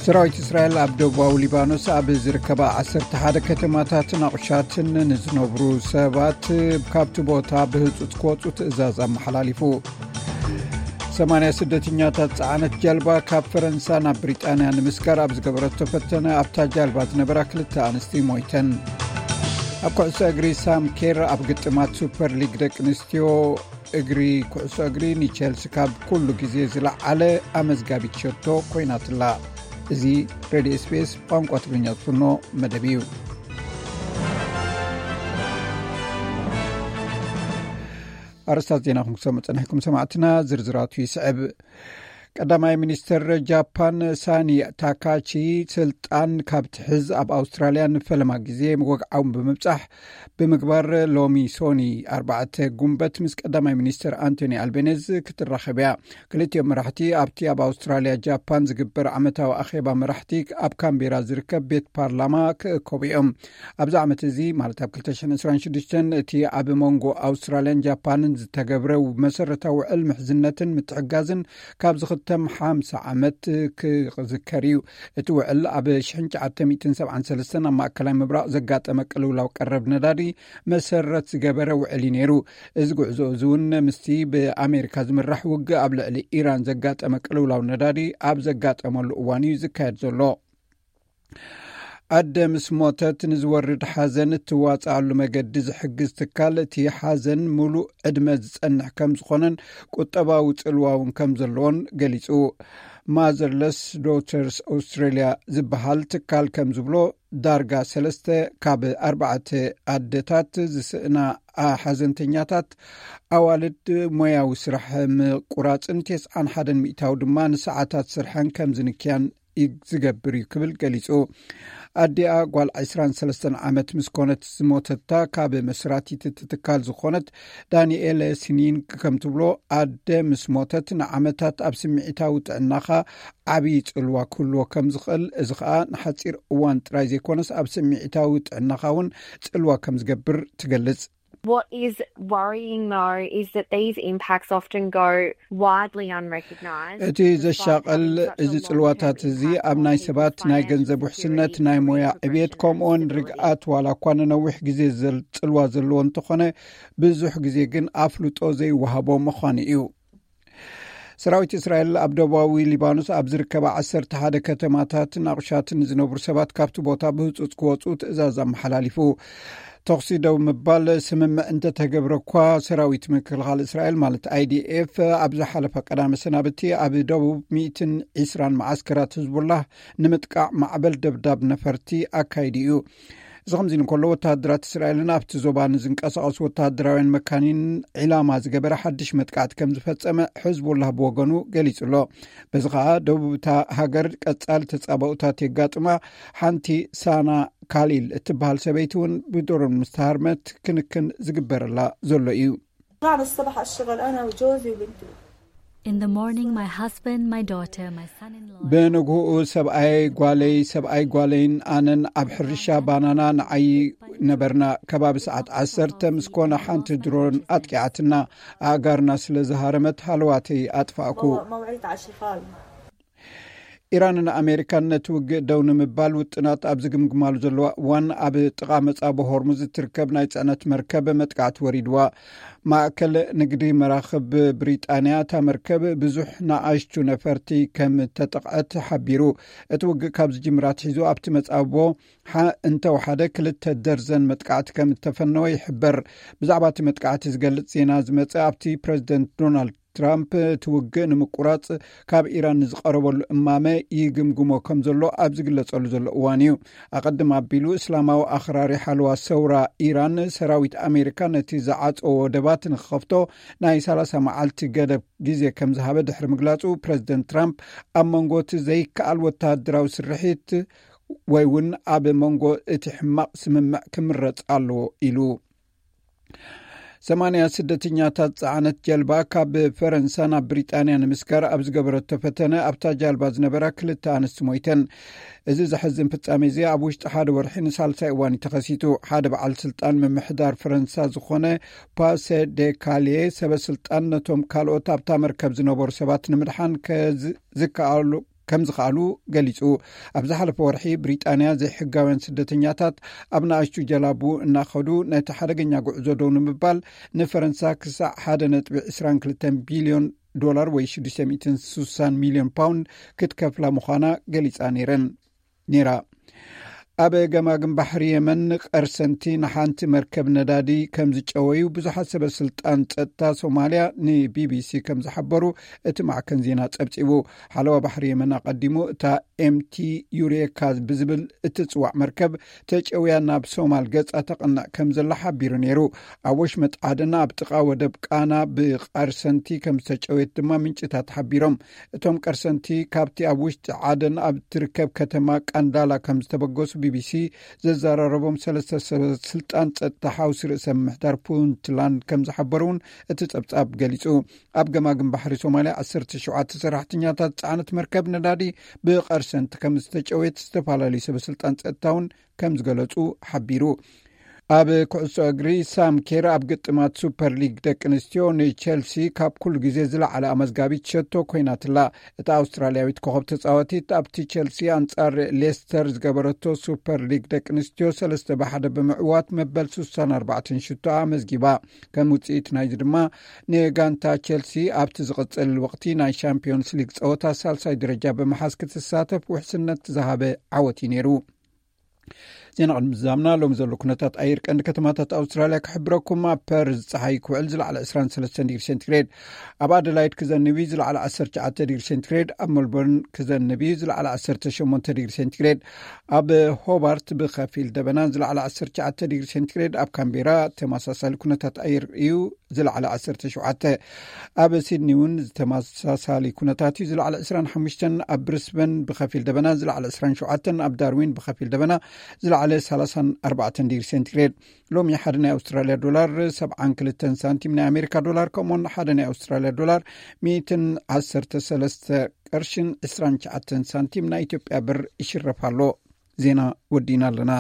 ሰራዊት እስራኤል ኣብ ደቡባዊ ሊባኖስ ኣብ ዝርከባ ዓሰርተ ሓደ ከተማታትን ኣቑሻትን ንዝነብሩ ሰባት ካብቲ ቦታ ብህጹጽ ክወጹ ትእዛዝ ኣመሓላሊፉ። ሰማንያ ስደተኛታት ጸዓነት ጀልባ ካብ ፈረንሳ ናብ ብሪጣንያ ንምስጋር ኣብ ዝገበረቶ ፈተነ ኣብታ ጀልባ ዝነበራ ክልተ ኣንስቲ ሞይተን። ኣብ ኩዕሶ እግሪ ሳም ኬር ኣብ ግጥማት ሱፐር ሊግ ደቂ ኣንስትዮ እግሪ ኩዕሶ እግሪ ንቸልሲ ካብ ኩሉ ግዜ ዝለዓለ ኣመዝጋቢት ሸቶ ኮይናትላ። እዚ ሬድዮ ኤስቢኤስ ቋንቋ ትግርኛ ዝፍኖ መደብ እዩ። ኣርስታት ዜና ክንሰሙ ጸኒሕኩም ሰማዕትና፣ ዝርዝራቱ ይስዕብ። ቀዳማይ ሚኒስትር ጃፓን ሳኒ ታካቺ ስልጣን ካብ ትሕዝ ኣብ ኣውስትራልያ ንፈለማ ግዜ ወግዓውን ብምብጻሕ ብምግባር፣ ሎሚ ሶኒ ኣርባዕተ ጉንበት ምስ ቀዳማይ ሚኒስትር ኣንቶኒ ኣልቤኔዝ ክትራኸብ እያ። ክልቲኦም መራሕቲ ኣብቲ ኣብ ኣውስትራልያ ጃፓን ዝግበር ዓመታዊ ኣኼባ መራሕቲ ኣብ ካምቤራ ዝርከብ ቤት ፓርላማ ክእከቡ እዮም። ኣብዚ ዓመት እዚ፣ ማለት ኣብ ክልተ ሽሕን ዕስራን ሽዱሽተን፣ እቲ ኣብ መንጎ ኣውስትራልያን ጃፓንን ዝተገብረ መሰረታዊ ውዕል ምሕዝነትን ምትሕጋዝን ካብ ዝኽተም ሓምሳ ዓመት ክዝከር እዩ። እቲ ውዕል ኣብ ሽሕን ትሽዓተ ሚእትን ሰብዓን ሰለስተን ኣብ ማእከላይ ምብራቕ ዘጋጠመ ቅልውላው ቀረብ ነዳዲ መሰረት ዝገበረ ውዕል እዩ ነይሩ። እዚ ጉዕዞ እዚ እውን ምስቲ ብኣሜሪካ ዝምራሕ ውግእ ኣብ ልዕሊ ኢራን ዘጋጠመ ቅልውላው ነዳዲ ኣብ ዘጋጠመሉ እዋን እዩ ዝካየድ ዘሎ። ኣደ ምስ ሞተት ንዝወርድ ሓዘን እትዋፅኣሉ መገዲ ዝሕግዝ ትካል፣ እቲ ሓዘን ሙሉእ ዕድመ ዝፀንሕ ከም ዝኾነን ቁጠባዊ ፅልዋ እውን ከም ዘለዎን ገሊፁ። ማዘርለስ ዶተርስ ኣውስትራሊያ ዝበሃል ትካል ከም ዝብሎ፣ ዳርጋ ሰለስተ ካብ ኣርባዕተ ኣደታት ዝስእና ሓዘንተኛታት፣ ኣዋልድ ሞያዊ ስራሕ ምቁራፅን፣ ተስዓን ሓደን ሚእታዊ ድማ ንሰዓታት ስርሐን ከም ዝንክያን ይ-፣ ዝገብር እዩ ክብል ገሊጹ። ኣዲኣ ጓል ዕስራን ሰለስተን ዓመት ምስ ኮነት ዝሞተታ ካብ መስራቲት እቲ ትካል ዝኾነት ዳንኤለ ሲኒንግ ከም ትብሎ፣ ኣደ ምስ ሞተት ንዓመታት ኣብ ስምዒታዊ ጥዕናኻ ዓብዪ ጽልዋ ክህልዎ ከም ዝኽእል፣ እዚ ኸኣ ንሓጺር እዋን ጥራይ ዘይኮነስ ኣብ ስምዒታዊ ጥዕናኻ እውን ጽልዋ ከም ዝገብር ትገልጽ። What is worrying, though, is that these impacts often go widely unrecognised. እቲ ዘሻቕል፣ እዚ ጽልዋታት እዚ ኣብ ናይ ሰባት ናይ ገንዘብ ውሕስነት፣ ናይ ሞያ ዕብየት፣ ከምኡውን ርግኣት፣ ዋላ እኳ ንነዊሕ ግዜ ዘል-፣ ጽልዋ ዘለዎ እንተኾነ፣ ብዙሕ ግዜ ግን ኣፍልጦ ዘይወሃቦ ምዃኑ እዩ። ሰራዊት እስራኤል ኣብ ደቡባዊ ሊባኖስ ኣብ ዝርከባ ዓሰርተ ሓደ ከተማታትን ኣቑሻትን ዝነብሩ ሰባት ካብቲ ቦታ ብህጹጽ ክወጹ ትእዛዝ ኣመሓላሊፉ። ተኹሲ ደው ምባል ስምምዕ እንተተገብረ እኳ፣ ሰራዊት ምክልኻል እስራኤል፣ ማለት ኣይዲኤፍ፣ ኣብ ዝሓለፈ ቀዳመ ሰናብቲ ኣብ ደቡብ ሚእትን ዕስራን መዓስከራት ህዝቡላህ ንምጥቃዕ ማዕበል ደብዳብ ነፈርቲ ኣካይዱ እዩ። እዚ ከምዚ እንከሎ፣ ወተሃደራት እስራኤልን ኣብቲ ዞባ ንዝንቀሳቐሱ ወተሃደራውያን መካኒን ዒላማ ዝገበረ ሓድሽ መጥቃዕቲ ከም ዝፈጸመ ሕዝቡላህ ብወገኑ ገሊጹ ኣሎ። በዚ ኸኣ፣ ደቡብ እታ ሃገር ቀጻሊ ተጻባኡታት የጋጥማ። ሓንቲ ሳና ካሊል እትበሃል ሰበይቲ እውን ብድሮን ምስ ተሃርመት ክንክን ዝግበረላ ዘሎ እዩ። بعد الصبح أشتغل أنا وجوزي وبنتي. In the morning, my husband, my daughter, my son-in-law. ብንግሆኡ ሰብኣይ ጓለይ፣ ሰብኣይ ጓለይን ኣነን ኣብ ሕርሻ ባናና ንዓዪ ነበርና። ከባቢ ሰዓት ዓሰርተ ምስ ኮነ ሓንቲ ድሮን ኣጥቂዓትና። ኣእጋርና ስለ ዝሃረመት ሃለዋተይ ኣጥፋእኩ። موعد عشي خالي. ኢራንን ኣሜሪካን ነቲ ውግእ ደው ንምባል ውጥናት ኣብ ዝግምግማሉ ዘለዋ እዋን፣ ኣብ ጥቓ መጻብ ሆርሙዝ እትርከብ ናይ ጽዕነት መርከብ መጥቃዕቲ ወሪድዋ። ማእከል ንግዲ መራኽብ ብሪጣንያ፣ እታ መርከብ ብዙሕ ንኣሽቱ ነፈርቲ ከም እተጠቕዐት ሓቢሩ። እቲ ውግእ ካብ ዝጅምር ኣትሒዙ ኣብቲ መጻብቦ ሓ-፣ እንተወሓደ ክልተ ደርዘን መጥቃዕቲ ከም እተፈነወ ይሕበር። ብዛዕባ እቲ መጥቃዕቲ ዝገልጽ ዜና ዝመጸ ኣብቲ ፕረዚደንት ዶናልድ ትራምፕ እቲ ውግእ ንምቁራጽ ካብ ኢራን ንዝቐረበሉ እማመ ይግምግሞ ከም ዘሎ ኣብ ዝግለጸሉ ዘሎ እዋን እዩ። ኣቐድም ኣቢሉ፣ እስላማዊ ኣኽራሪ ሓለዋ ሰውራ ኢራን፣ ሰራዊት ኣሜሪካ ነቲ ዝዓጸዎ ወደባት ንክኸፍቶ ናይ ሰላሳ መዓልቲ ገደብ ግዜ ከም ዝሃበ ድሕሪ ምግላጹ፣ ፕረዚደንት ትራምፕ ኣብ መንጎ እቲ ዘይከኣል ወተሃደራዊ ስርሒት ወይ እውን ኣብ መንጎ እቲ ሕማቕ ስምምዕ ክምረጽ ኣለዎ ኢሉ። ሰማንያ ስደተኛታት ጸዓነት ጀልባ ካብ ፈረንሳ ናብ ብሪጣንያ ንምስጋር ኣብ ዝገበረቶ ፈተነ፣ ኣብታ ጃልባ ዝነበራ ክልተ ኣንስቲ ሞይተን። እዚ ዘሕዝን ፍጻሜ እዚ ኣብ ውሽጢ ሓደ ወርሒ ንሳልሳይ እዋን እዩ ተኸሲቱ። ሓደ በዓል ስልጣን ምምሕዳር ፈረንሳ ዝኾነ ፓሰ ደ ካሌ፣ ሰበ ስልጣን ነቶም ካልኦት ኣብታ መርከብ ዝነበሩ ሰባት ንምድሓን ከዝ-፣ ዝከኣሉ ከም ዝኸኣሉ ገሊጹ። ኣብ ዝሓለፈ ወርሒ ብሪጣንያ ዘይሕጋውያን ስደተኛታት ኣብ ንኣሽቱ ጀላቡ እናኸዱ ነቲ ሓደገኛ ጉዕዞ ደው ንምባል ንፈረንሳ ክሳዕ ሓደ ነጥቢ ዕስራን ክልተን ቢልዮን ዶላር ወይ ሽዱሽተ ሚእትን ስሳን ሚልዮን ፓውንድ ክትከፍላ ምዃና ገሊጻ ነይረን ነይራ። ኣብ ገማግም ባሕሪ የመን ቀርሰንቲ ንሓንቲ መርከብ ነዳዲ ከም ዝጨወዩ ብዙሓት ሰበ ስልጣን ጸጥታ ሶማልያ ንቢቢሲ ከም ዝሓበሩ እቲ ማዕከን ዜና ጸብጺቡ። ሓለዋ ባሕሪ የመን ኣቐዲሙ እታ ኤምቲ ዩሬካ ብዝብል እትጽዋዕ መርከብ ተጨውያ ናብ ሶማል ገጻ ተቕንዕ ከም ዘላ ሓቢሩ ነይሩ። ኣብ ወሽመጥ ዓደን ኣብ ጥቓ ወደብ ቃና ብቐርሰንቲ ከም ዝተጨወየት ድማ ምንጭታት ሓቢሮም። እቶም ቀርሰንቲ ካብቲ ኣብ ውሽጢ ዓደን ኣብ ትርከብ ከተማ ቃንዳላ ከም ዝተበገሱ ቢቢሲ ዘዘራረቦም ሰለስተ ሰበ ስልጣን ጸጥታ ሓውሲ ርእሰ ምምሕዳር ፑንትላንድ ከም ዝሓበሩ እውን እቲ ጸብጻብ ገሊጹ። ኣብ ገማግም ባሕሪ ሶማልያ ዓሰርተ ሸውዓተ ሰራሕተኛታት ዝጸዓነት መርከብ ነዳዲ ብቐርሰንቲ ከም ዝተጨወየት ዝተፈላለዩ ሰበ ስልጣን ጸጥታ እውን ከም ዝገለጹ ሓቢሩ። ኣብ ኩዕሶ እግሪ ሳም ኬር ኣብ ግጥማት ሱፐር ሊግ ደቂ ኣንስትዮ ንቸልሲ ካብ ኩሉ ግዜ ዝለዓለ ኣመዝጋቢት ሸቶ ኮይናትላ። እታ ኣውስትራልያዊት ኮኸብ ተጻዋቲት ኣብቲ ቸልሲ ኣንጻር ሌስተር ዝገበረቶ ሱፐር ሊግ ደቂ ኣንስትዮ ሰለስተ ብሓደ ብምዕዋት መበል ስሳን ኣርባዕተን ሽቶ ኣመዝጊባ። ከም ውጽኢት ናይዚ ድማ ንጋንታ ቸልሲ ኣብቲ ዝቕጽል ወቕቲ ናይ ሻምፒዮንስ ሊግ ጸወታ ሳልሳይ ደረጃ ብምሓዝ ክትሳተፍ ውሕስነት ዝሃበ ዓወት እዩ ነይሩ። ዜና ቅድሚ ዝዛምና ሎም ዘሎ ኩነታት ኣየር ቀንዲ ከተማታት ኣውስትራልያ ክሕብረኩም። ኣብ ፐርዝ ጸሓይ ክውዕል ዝለዓለ ዕስራን ሰለስተን ዲግሪ ሴንቲግሬድ፣ ኣብ ኣደላይድ ክዘንብ እዩ ዝለዓለ ዓሰርተ ትሽዓተ ዲግሪ ሴንቲግሬድ፣ ኣብ ሜልቦርን ክዘንብ እዩ ዝለዓለ ዓሰርተ ሸሞንተ ዲግሪ ሴንቲግሬድ፣ ኣብ ሆባርት ብኸፊል ደበና ዝለዓለ ዓሰርተ ትሽዓተ ዲግሪ ሴንቲግሬድ፣ ኣብ ካምቤራ ተመሳሳሊ ኩነታት ኣየር እዩ ዝለዓለ ዓሰርተ ሸውዓተ፣ ኣብ ሲድኒ እውን ዝተመሳሳሊ ኩነታት እዩ ዝለዓለ ዕስራን ሓሙሽተን፣ ኣብ ብሪስበን ብኸፊል ደበና ዝለዓለ ዕስራን ሸውዓተን፣ ኣብ ዳርዊን ብኸፊል ደበና ዝለዓለ ሰላሳን ኣርባዕተን ዲግሪ ሴንቲግሬድ። ሎሚ ሓደ ናይ ኣውስትራልያ ዶላር ሰብዓን ክልተን ሳንቲም፣ ናይ ኣሜሪካ ዶላር ከምኡውን ሓደ ናይ ኣውስትራልያ ዶላር ሚእትን ዓሰርተ ሰለስተ ቅርሽን ዕስራን ትሽዓተን ሳንቲም ናይ ኢትዮጵያ ብር ይሽረፍ ኣሎ። ዜና ወዲና ኣለና።